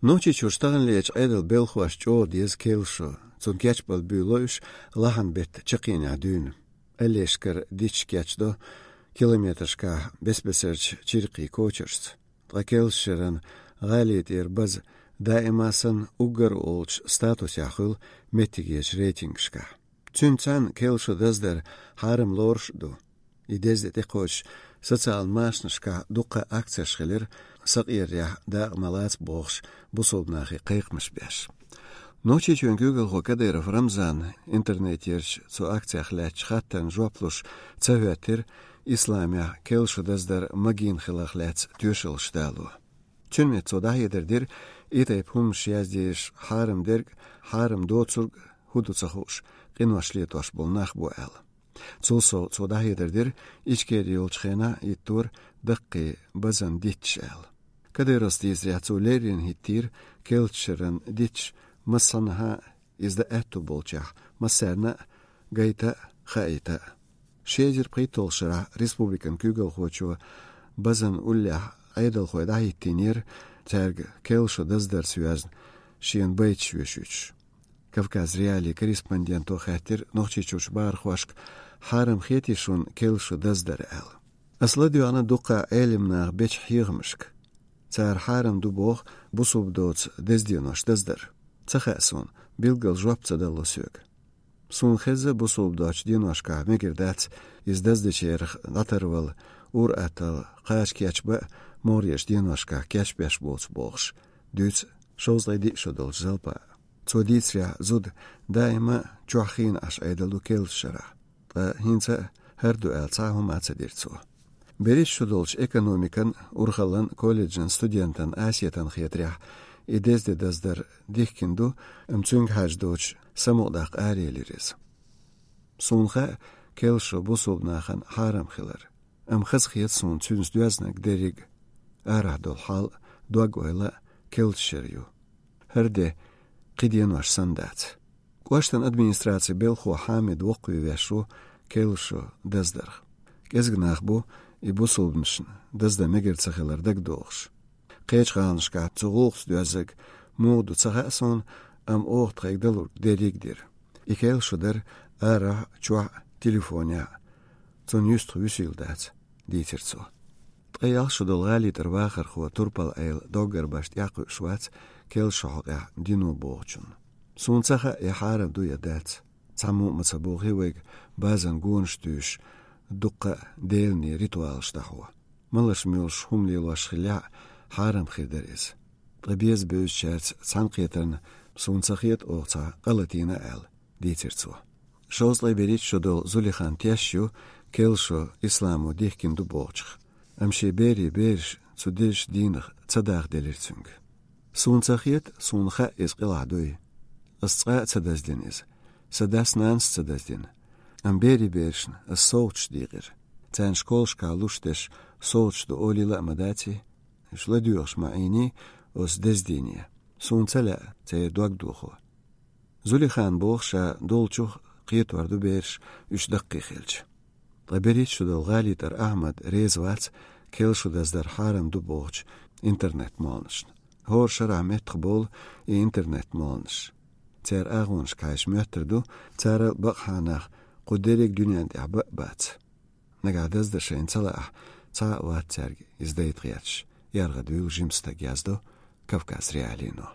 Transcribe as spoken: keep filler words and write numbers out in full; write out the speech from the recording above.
Нохчийчуьра таханлерчу Ӏедалан белхахошна чӀогӀа деза керлачу шо. Цунна кечбала буьйло уьш лахьан беттан чаккхенехь дуьйна. Аллешкара дитт кечдо километрашкахь бес-бесарчу чиркхийн кочаршца. Ткъа керлачу шеран гӀали тӀера база даима санна уггар а олучу статусехь хуьлу меттигерчу рейтингашкахь. Цуьнца цхьаьна керлачу шо даздар хьарам лоруш а ду. И деза де тӀекхочуш социалан машанашкахь дуккха а акцеш хилира, сакъерарехь дакъа ма лаца бохуш, бусулба нахе кхайкхамаш беш. Нохчийчоьнан куьйгалхо Кадыров Рамзана интернетерчу цу акцех лаьцначу хаттарна жоп луш ца хӀоьттира исламехь керлачу шо даздар магийна хиларх лаьцна тоьшаллаш дало. Цуьнан метта цо дӀахьедар дира, и тайпа хӀуманаш яздеш хьарам дерг, хьарам доцург хӀун ду ца хууш, къинош летош болу нах бу аьлла. Цул сов цо дӀахьедар дира, Ичкери йолчу хенахь хӀиттора даккхий базан дитташ аьлла. Кадыровс дийцарехь, цо леррина хӀиттийра керлачу шеран дитташ массанхьа а иза дан аьтту болчех, массарна а гайта а, хаийта а. Ши эзар пхийтталгӀачу шарахь республикан куьйгалхочо базан уллехь Ӏедалхой дӀахӀиттийнера, цаьрга керлачу шо даздарца йоьзна шена байташ йоьшуьйтуш. Кавказ.Реалии корреспонденто хаьттира Нохчийчуьрчу бахархошка: «Хьарам хетий шуна керлачу шо даздар?» — аьлла. «Ас ладоьгӀна дуккха а Ӏелам наха бечу хьехамашка. Цара хьарам ду боху бусулба доцу деза денош даздар. Ца хаьа суна, билггал жоп ца далло соьга. Суна хеза, бусулба доцчу деношкахь мегар дац иза даздечарах дӀатарвала, ур-атталла кхача кечбан а, могӀарерчу деношкахь кечбеш боцу бохуш», — дуьйцу шовзткъе диъ шо долчу Залпа. Цо дийцарехь, зуда даима чохь хиъна Ӏаш Ӏедал ду керлачу шарахь. Ткъа хӀинца а хӀара ду аьлла цхьа а хӀума ца дира цо. БерхӀитта шо долчу экономикан, урхаллан колледжан студентан Асетан хетарехь, и деза де даздар дихкина ду, амма цуьнга хьаьжна доцуш самукъадаккха араелира иза. «Суна хаьа керлачу шо бусулба нахана хьарам хилар. Амма хазахета суна цуьнца доьзнарг дерриг а: арахь долу хьал а, дог-ойла а керлачу шера ю. ХӀара де кхин денош санна дац». КӀоштан администрацин белхахо Хьамид воккхаве веш ву керлачу шо даздарх. КӀезиг нах бу и бусулбанашна даздан мегар ца хилар дагадогӀуш. Кхечу гӀаланашкахь цу гӀуллакхца доьззарг муха ду ца хаьа суна, амма оха тхайга далург дерриг а дира. И керлачу шо дара арахь а, чохь а, телефонехь а. Цунна юьстах вуьсийла дац, — дийцира цо. Ткъе ялх шо долу ГӀалитӀера вахархо турпал-Ӏела доггар башха тӀекхуьуш вац керлачу шо хьокъехь дино бохучунна. «Суна ца хаьа, и хьарам ду я дац. Цхьаммо а ма ца бохий вайга базан гонаш туьйсуш, дуккха а деланийн ритуалаш дӀахьо. Малаш-моьлаш хӀума лелош хиллехь а, хьарам хир дара иза. Ткъа беза-бевзачаьрца цхьаьнакхетарна суна ца хета оха цхьа къа латийна аьлла», — дийцира цо. Шовзткъе берхӀитта шо долу Зулихан теш ю керлачу шо исламо дихкина ду бохучух. Амма шен берийн бераш цу дезачу дийнах ца дахделира цуьнга. «Суна ца хета, суна хаьа иза къилахь дуй. Ас цкъа а ца даздина иза. Сан дас-нанас а ца даздина. Амма берийн берашна ас совгӀаташ дийкъира. Царна школашкахь луш дерш совгӀаташ ду олийла а ма даций. Уьш ладоьгӀуш ма Ӏийний оцу деза дийне. Суна ца лаьа церан дог дохо». Зулихан боху, ша долчух кхетор ду бераш уьш даккхий хилча. Ткъа берхӀитта шо долу ГӀалитӀера Ахьмад реза вац керлачу шо даздар хьарам ду бохучу интернет-молханашна. ХӀора шарахь меттахбовлу и интернет-молханаш. Церан агӀонашка хьаьжча моьттур ду, царал бакъахьа нах кху дерриг дуьнен тӀехь бан а бац. Нагахь даздан шайна ца лаахь, цхьа а вац цаьрга иза дайта гӀерташ, яргӀадуьйлу жима стаг, яздо Кавказ.Реалиино.